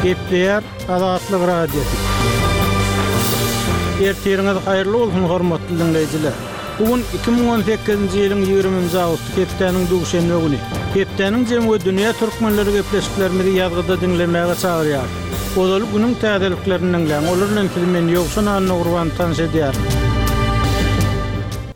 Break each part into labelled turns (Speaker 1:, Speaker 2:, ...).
Speaker 1: Gepleýär Azatlyk Radiosy. Ertiriňiz haýyrly bolsun, hormatly diňleýjiler! Bu gün 2018-nji ýylyň 20-nji awgusty, hepdäniň duşenbe güni. Hepdäniň jemi we dünýä türkmenleri gepleşiklerimizi ýazgyda diňlemäge çagyrýarys. Ozaly günüň täzeliklerini diňläň, olar bilen sizi men, Ýowşan Annagurban tanyş edýärin.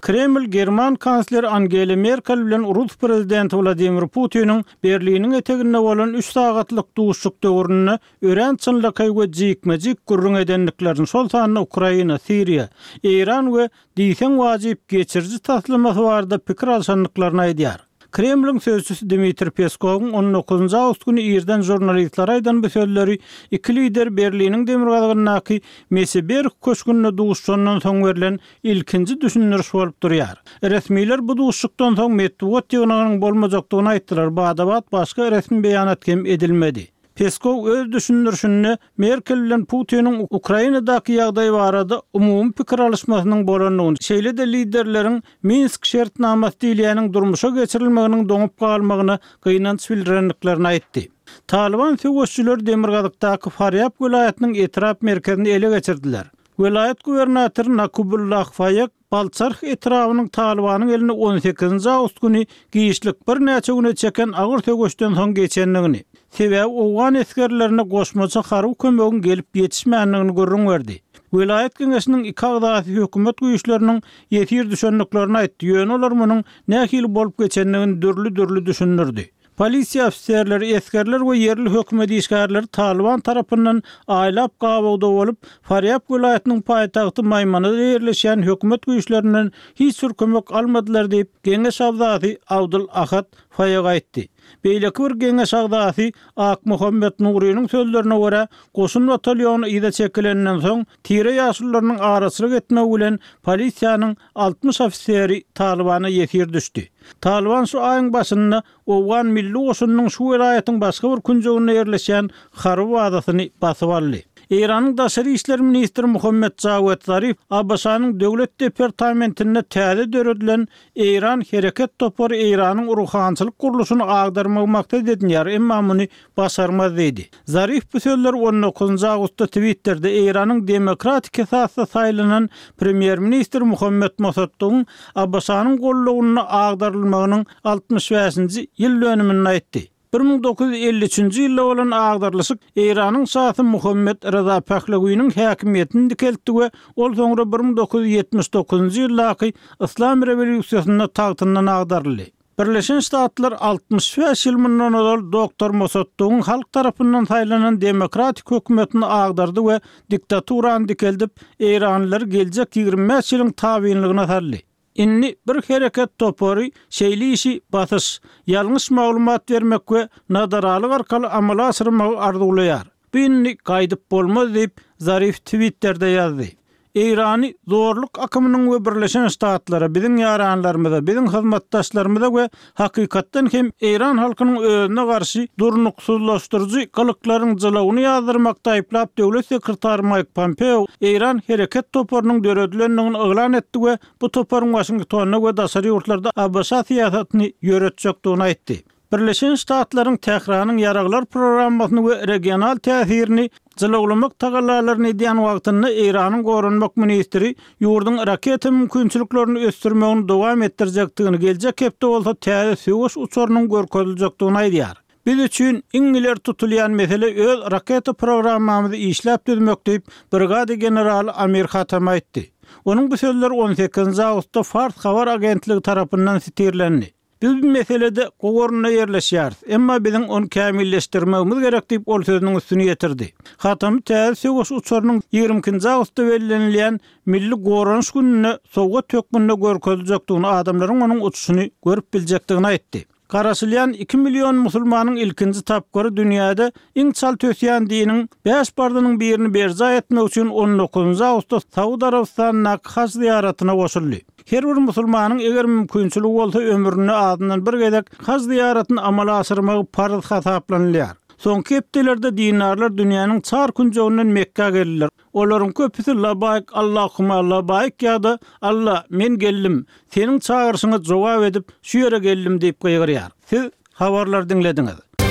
Speaker 1: Kreml german kansleri Angela Merkel bilen rus prezidenti Wladimir Putiniň Berliniň eteginde bolan üç sagatlyk duşuşyk döwründe örän çynlakaý we jikme-jik gürrüň edendiklerini, şol sanda Ukraina, Siriýa, Eýran we diýseň wajyp geçiriji taslamasy barada pikir alşandyklaryny aýdýar. Kremliň sözçüsi Dmitriý Peskowyň on dokuzynjy awgust güni irden žurnalistlere aýdan bu sözleri iki lider Berliniň demirgazygyndaky Meseberg köşgünde duşuşandan soň berlen ilkinji düşündiriş bolup durýar. Resmiler bu duşuşykdan soň metbugat ýygnagynyň bolmajakdygyny aýtdylar, bada-bat başga resmi beýanat hem edilmedi. Peskow öz düşündirişinde Merkel bilen Putiniň Ukrainadaky ýagdaý barada umumy pikir alyşmasynyň bolandygyny, şeýle-de liderleriň Minsk şertnamasy diýilýäniň durmuşa geçirilmeginiň doňup galmagyna gynanç bildirendiklerini aýtdy. Talyban söweşijileri demirgazykdaky Farýab welaýatynyň etrap merkezini ele geçirdiler. Welaýat gubernatory Nakubullah Faýek Balçarh etrabynyň Talybanyň eline on sekizinji awgust güni giçlik birnäçe güne çeken agyr söweşden soň geçendigini, sebäbi owgan esgerlerine goşmaça harby kömegiň gelip ýetişmändigini gürrüň berdi. Welaýat geňeşiniň iki agzasy hökümet güýçleriniň ýesir düşendiklerini aýtdy, ýöne olar munuň nähili bolup geçendigini dürli-dürli düşündirdi. Polisiýa ofiserleri, esgerler we ýerli hökümet işgärleri Talyban tarapyndan aýlap gabawda bolup, Farýab welaýatynyň paýtagty Maýmanada ýerleşýän hökümet güýçlerinden hiç bir kömek almadylar diýip, geňeş agzasy Abdul Ahad Faýag aýtdy. Beýleki bir geňeş agzasy Akmuhammet Nurynyň sözlerine görä, goşun batalýony yza çekilenden soň, tire ýaşulularynyň araçylyk etmegi bilen polisiýanyň 60 ofiseri Talybana ýesir düşdi. Talyban şu aýyň başynda owgan milli goşunynyň şu welaýatyň başga bir künjeginde ýerleşýän harby bazasyny basyp aldy. Eýranyň daşary işler ministri Muhammet Jawed Zarif ABŞ-nyň Döwlet departamentinde täze döredilen Eýran hereket topary Eýranyň ruhançylyk gurluşyny agdarmagy maksat edinýär, emma muny başarmaz diýdi. Zarif bu sözleri on dokuzynjy awgustda Twitterde Eýranyň demokratik esasda saýlanan premýer-ministri Muhammet Mossaddygyň ABŞ-nyň gollawynda agdarylmagynyň 65-nji ýyl dönüminde aýtdy. 1953-nji ýylda bolan agdarylyşyk Eýranyň şasy Muhammet Reza Pehlewiniň häkimiýetini dikeltdi we ol soňra 1979-njy ýyldaky Yslam rewolýusiýasynda tagtyndan agdaryldy. Birleşen Ştatlar 65 ýyl mundan ozal doktor Mossaddygyň halk tarapyndan saýlanan demokratik hökümetini agdardy we diktaturany dikeldip, eýranlylary geljek 25 ýylyň tabynlygyna saldy. Indi bir hereket topary şeýle işi basyş, ýalňyş maglumat bermek we nadaralyk arkaly amala aşyrmagy arzuwlaýar. Bu indi gaýdyp bolmaz diýip, Zarif Twitterde ýazdy. Eýrany zorluk akymynyň we Birleşen Ştatlara, biziň ýaranlarymyza, biziň hyzmatdaşlarymyza we hakykatdan hem eýran halkynyň özüne garşy durnuksyzlaşdyryjy gylyklaryň jylawyny ýazdyrmakda aýyplap döwlet sekretary Maýk Pompeo Eýran hereket toparynyň döredilendigini yglan etdi we bu toparyň Waşingtonda we daşary ýurtlarda ABŞ syýasatyny ýöretjekdigini aýtdy. Birleşen Ştatlaryň Tähranyň ýaraglar programmasyny we regional täsirini jylawlamak tagallalaryny edýän wagtynda Eýranyň goranmak ministri ýurduň raketa mümkinçiliklerini ösdürmegini dowam etdirjekdigini, geljek hepde bolsa täze söweş uçarynyň görkeziljekdigini aýdýar. Biz üçin iň ileri tutulýan mesele öz raketa programmamyzy işläp düzmek diýip, brigada generaly Amir Hatami aýtdy. Onuň bu sözleri on sekizinji awgustda Fars habar agentligi tarapyndan sitirlendi. Biz bu meselede gowy orunda ýerleşýäris, emma biziň ony kämilleşdirmegimiz gerek diýip, ol sözüniň üstüni ýetirdi. Hatamy täze söweş uçarynyň 22 nji awgustda bellenilýän Milli goranyş gününde sowgat hökmünde görkeziljekdigini, adamlaryň onuň uçuşyny görüp biljekdigini aýtdy. Garaşylýan iki million musulmanyň ilkinji tapgyry dünýäde iň çalt ösýän diniň bäş parzynyň birini berjaý etmek üçin on dokuzynjy awgustda Saud Arabystanyndaky haj zyýaratyna goşuldy. Her bir musulmanyň eger mümkinçiligi bolsa ömründe azyndan bir gezek haj zyýaratyny amala aşyrmagy parz hasaplanylýar. Soňky hepdelerde dindarlar dünýäniň çar künjeginden Mekgä geldiler. Olaryň köpüsi Labaýk Allahuma labaýk ýa-da Alla, men geldim, Seniň çagyryşyňa jogap edip, şu ýere geldim diýip gygyrýar. Siz habarlary diňlediňiz.